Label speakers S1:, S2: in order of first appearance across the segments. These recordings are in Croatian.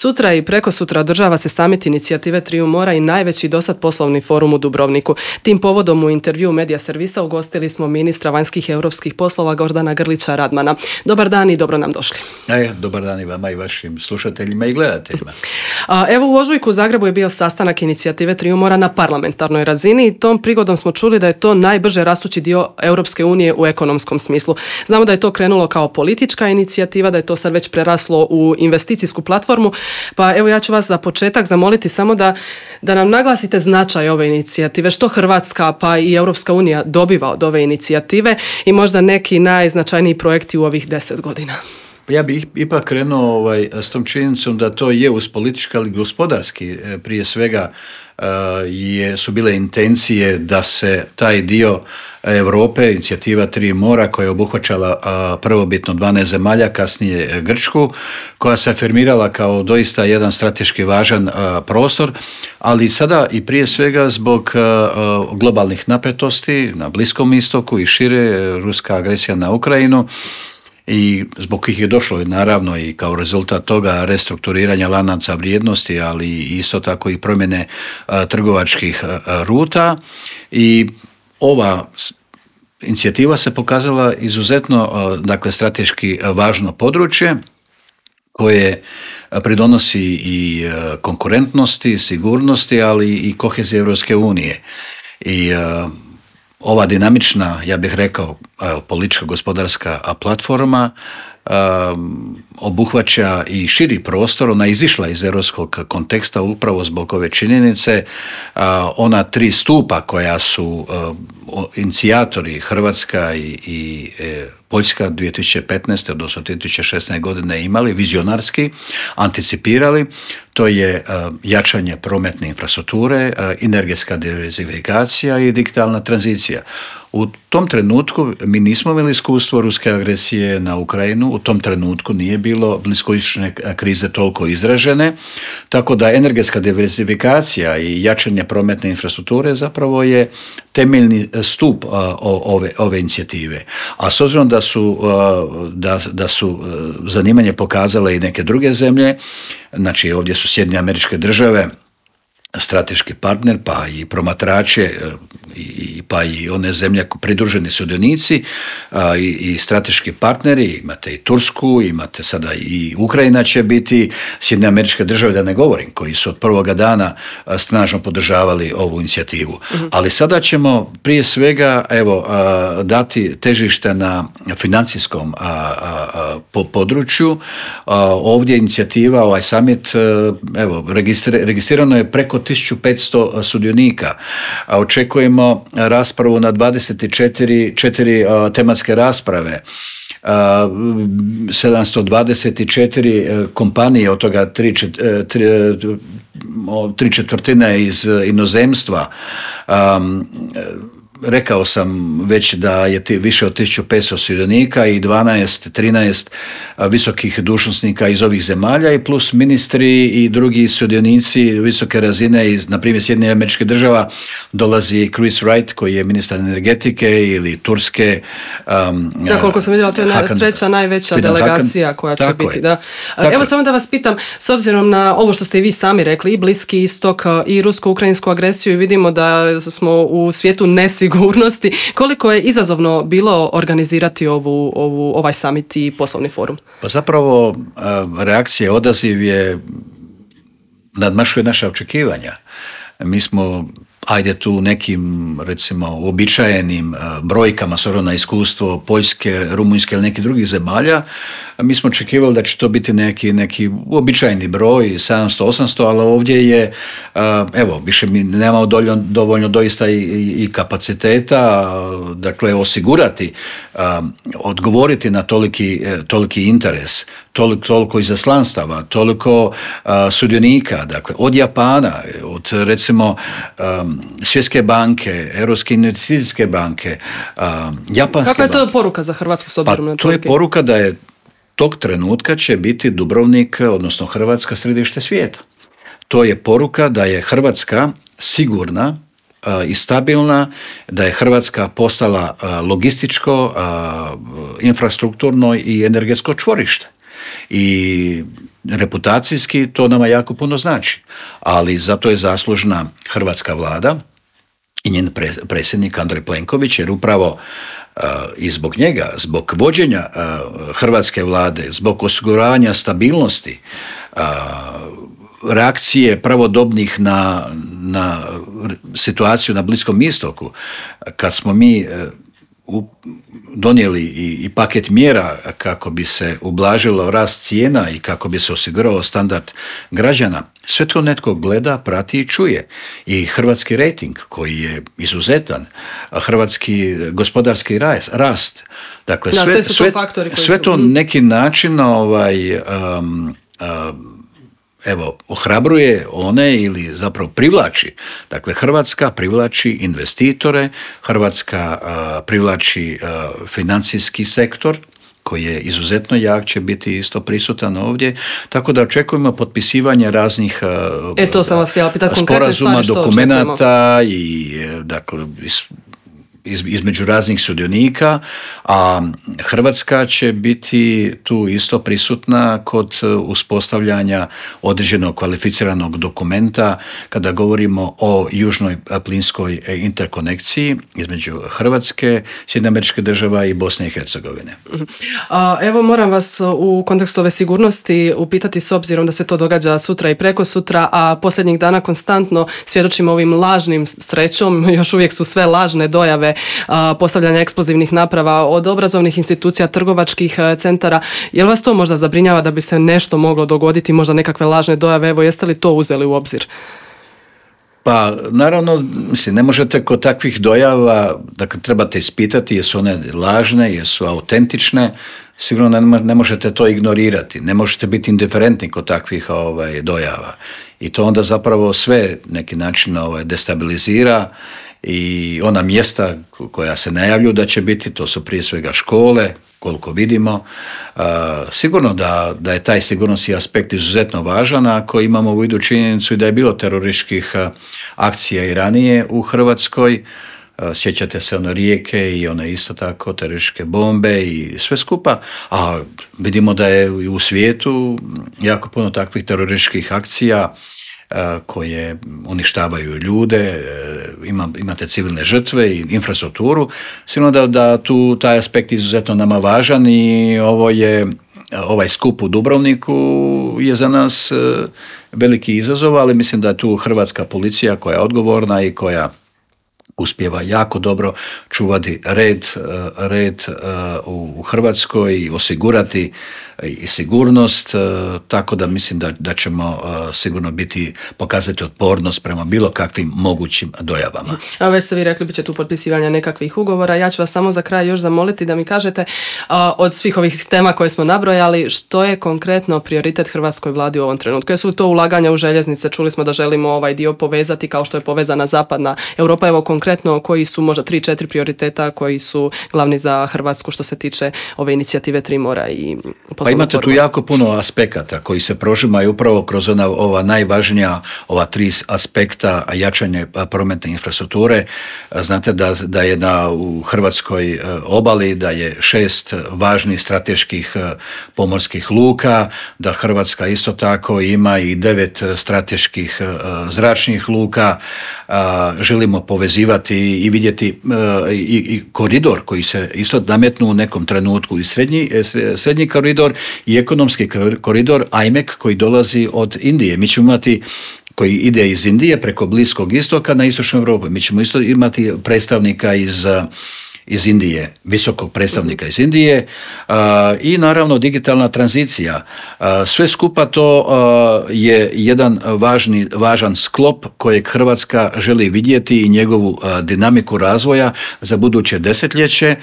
S1: Sutra i prekosutra održava se samit inicijative Triju mora i najveći dosad poslovni forum u Dubrovniku. Tim povodom u intervju Medija servisa ugostili smo ministra vanjskih i europskih poslova Gordana Grlića Radmana. Dobar dan i dobro nam došli.
S2: Dobar dan i vama i vašim slušateljima i gledateljima.
S1: Evo u ožujku u Zagrebu je bio sastanak inicijative Triju mora na parlamentarnoj razini i tom prigodom smo čuli da je to najbrže rastući dio Europske unije u ekonomskom smislu. Znamo da je to krenulo kao politička inicijativa, da je to sad već preraslo u investicijsku platformu, pa evo ja ću vas za početak zamoliti samo da nam naglasite značaj ove inicijative, što Hrvatska pa i Europska unija dobiva od ove inicijative i možda neki najznačajniji projekti u ovih 10 godina.
S2: Ja bih ipak krenuo s tom činjenicom da to je uz politički, ali gospodarski prije svega su bile intencije da se taj dio Europe, inicijativa Tri mora koja je obuhvaćala prvobitno 12 zemalja, kasnije Grčku, koja se afirmirala kao doista jedan strateški važan prostor, ali sada i prije svega zbog globalnih napetosti na Bliskom istoku i šire, ruska agresija na Ukrajinu, i zbog kojih je došlo naravno i kao rezultat toga restrukturiranja lanaca vrijednosti, ali isto tako i promjene trgovačkih ruta. I ova inicijativa se pokazala izuzetno strateški važno područje koje pridonosi i konkurentnosti, sigurnosti, ali i koheziji Europske unije. I ova dinamična, ja bih rekao, politička gospodarska platforma obuhvaća i širi prostor, ona je izišla iz europskog konteksta upravo zbog ove činjenice. Ona 3 stupa koja su inicijatori Hrvatska i Poljska 2015. odnosno 2016. godine imali, vizionarski anticipirali, to je jačanje prometne infrastrukture, energetska diverzifikacija i digitalna tranzicija. U tom trenutku mi nismo imali iskustvo ruske agresije na Ukrajinu, u tom trenutku nije bilo bliskoistočne krize toliko izražene, tako da energetska diverzifikacija i jačanje prometne infrastrukture zapravo je temeljni stup ove inicijative. A s obzirom da su zanimanje pokazale i neke druge zemlje, znači ovdje su Sjedinjene Američke Države strateški partner, pa i promatrače, pa i one zemlje pridruženi sudionici i strateški partneri, imate i Tursku, imate sada i Ukrajina će biti, Sjedinjene Američke Države da ne govorim, koji su od prvoga dana snažno podržavali ovu inicijativu. Ali sada ćemo prije svega dati težište na financijskom području. Ovdje inicijativa, ovaj summit, registrirano je preko 1500 sudionika. Očekujemo raspravu na 24 tematske rasprave. 724 kompanije, od toga 3/4 iz inozemstva. Rekao sam već da je više od 1500 sudionika i 13 visokih dužnosnika iz ovih zemalja i plus ministri i drugi sudionici visoke razine iz, na primjer, Sjedinjenih Američkih Država dolazi Chris Wright koji je ministar energetike ili Turske.
S1: Koliko sam vidjela, to je treća najveća delegacija koja će biti. Da. Evo samo da vas pitam, s obzirom na ovo što ste i vi sami rekli, i Bliski istok i rusko-ukrajinsku agresiju, i vidimo da smo u svijetu nesigurnosti, koliko je izazovno bilo organizirati ovaj summit i poslovni forum?
S2: Pa zapravo reakcija, odaziv je nadmašuje naša očekivanja. Mi smo tu nekim, recimo, uobičajenim brojkama s obzirom na iskustvo Poljske, Rumunjske ili nekih drugih zemalja, mi smo očekivali da će to biti neki uobičajeni broj, 700-800, ali ovdje je, više mi nemamo dovoljno doista i kapaciteta, dakle, osigurati, odgovoriti na toliki interes, toliko izaslanstava, toliko sudionika, dakle, od Japana, od, recimo, Svjetske banke, Europske investicijske banke, japanske banke.
S1: Kakva je to poruka za Hrvatsku s obzirom na to?
S2: To je poruka da je tog trenutka će biti Dubrovnik, odnosno Hrvatska, središte svijeta. To je poruka da je Hrvatska sigurna i stabilna, da je Hrvatska postala logističko, infrastrukturno i energetsko čvorište. I reputacijski to nama jako puno znači, ali zato je zaslužna hrvatska vlada i njen predsjednik Andrej Plenković, jer upravo i zbog njega, zbog vođenja hrvatske vlade, zbog osiguravanja stabilnosti, reakcije pravodobnih na situaciju na Bliskom istoku, kad smo mi donijeli i paket mjera kako bi se ublažilo rast cijena i kako bi se osigurao standard građana, sve to netko gleda, prati i čuje. I hrvatski rejting koji je izuzetan, hrvatski gospodarski rast, dakle sve to neki način ohrabruje one ili zapravo privlači. Dakle, Hrvatska privlači investitore, Hrvatska privlači financijski sektor koji je izuzetno jak, će biti isto prisutan ovdje, tako da očekujemo potpisivanje raznih sporazuma, dokumenata i dakle između raznih sudionika, a Hrvatska će biti tu isto prisutna kod uspostavljanja određenog kvalificiranog dokumenta kada govorimo o južnoj plinskoj interkonekciji između Hrvatske, Sjedinjenih Američkih Država i Bosne i Hercegovine.
S1: Evo moram vas u kontekstu ove sigurnosti upitati, s obzirom da se to događa sutra i preko sutra, a posljednjih dana konstantno svjedočimo ovim lažnim, srećom, još uvijek su sve lažne dojave postavljanja eksplozivnih naprava od obrazovnih institucija, trgovačkih centara. Je li vas to možda zabrinjava da bi se nešto moglo dogoditi, možda nekakve lažne dojave? Evo, jeste li to uzeli u obzir?
S2: Pa, naravno, ne možete kod takvih dojava, dakle, trebate ispitati jesu one lažne, jesu autentične, sigurno ne možete to ignorirati, ne možete biti indiferentni kod takvih dojava. I to onda zapravo sve neki način destabilizira i ona mjesta koja se najavljuju da će biti, to su prije svega škole, koliko vidimo. Sigurno da je taj sigurnosni aspekt izuzetno važan, ako imamo u vidu činjenicu i da je bilo terorističkih akcija i ranije u Hrvatskoj. Sjećate se Rijeke i one isto tako terorističke bombe i sve skupa, a vidimo da je u svijetu jako puno takvih terorističkih akcija koje uništavaju ljude, imate civilne žrtve i infrastrukturu. Sigurno da tu taj aspekt izuzetno nama važan i ovaj skup u Dubrovniku je za nas veliki izazov, ali mislim da je tu hrvatska policija koja je odgovorna i koja uspijeva jako dobro čuvati red u Hrvatskoj i osigurati i sigurnost, tako da mislim da ćemo sigurno pokazati otpornost prema bilo kakvim mogućim dojavama.
S1: A već ste vi rekli, bit će tu potpisivanja nekakvih ugovora. Ja ću vas samo za kraj još zamoliti da mi kažete od svih ovih tema koje smo nabrojali, što je konkretno prioritet hrvatskoj vladi u ovom trenutku? Jesu li to ulaganja u željeznice? Čuli smo da želimo ovaj dio povezati kao što je povezana zapadna Europa. Evo konkretno koji su možda 3-4 prioriteta koji su glavni za Hrvatsku što se tiče ove inicijative Tri mora i
S2: Pa imate tu jako puno aspekata koji se prožimaju upravo kroz ova najvažnija, ova 3 aspekta jačanje prometne infrastrukture. Znate da je u Hrvatskoj obali, da je 6 važnih strateških pomorskih luka, da Hrvatska isto tako ima i 9 strateških zračnih luka. Želimo povezivati i vidjeti i koridor koji se isto nametnu u nekom trenutku, i srednji koridor i ekonomski koridor IMEC koji dolazi od Indije. Mi ćemo imati koji ide iz Indije preko Bliskog istoka na istočnu Europu. Mi ćemo isto imati predstavnika iz Indije, visokog predstavnika iz Indije i naravno digitalna tranzicija. Sve skupa to je jedan važan sklop kojeg Hrvatska želi vidjeti i njegovu dinamiku razvoja za buduće desetljeće.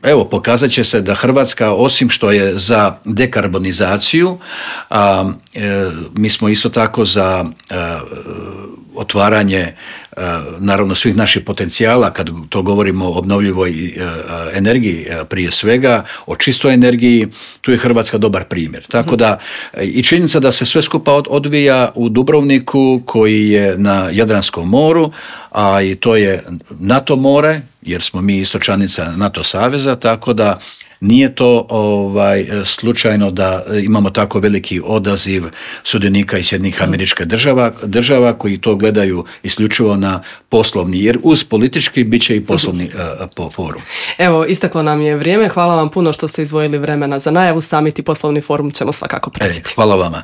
S2: Evo, pokazat će se da Hrvatska, osim što je za dekarbonizaciju, mi smo isto tako za otvaranje naravno svih naših potencijala, kad to govorimo o obnovljivoj energiji prije svega, o čistoj energiji, tu je Hrvatska dobar primjer. Tako da i činjenica da se sve skupa odvija u Dubrovniku koji je na Jadranskom moru, a i to je NATO more, jer smo mi isto članica NATO saveza, tako da Nije to slučajno da imamo tako veliki odaziv sudionika iz Sjedinjenih Američkih država koji to gledaju isključivo na poslovni, jer uz politički bit će i poslovni forum.
S1: Evo, isteklo nam je vrijeme. Hvala vam puno što ste izdvojili vremena za najavu. Summit i poslovni forum ćemo svakako pratiti.
S2: Hvala vama.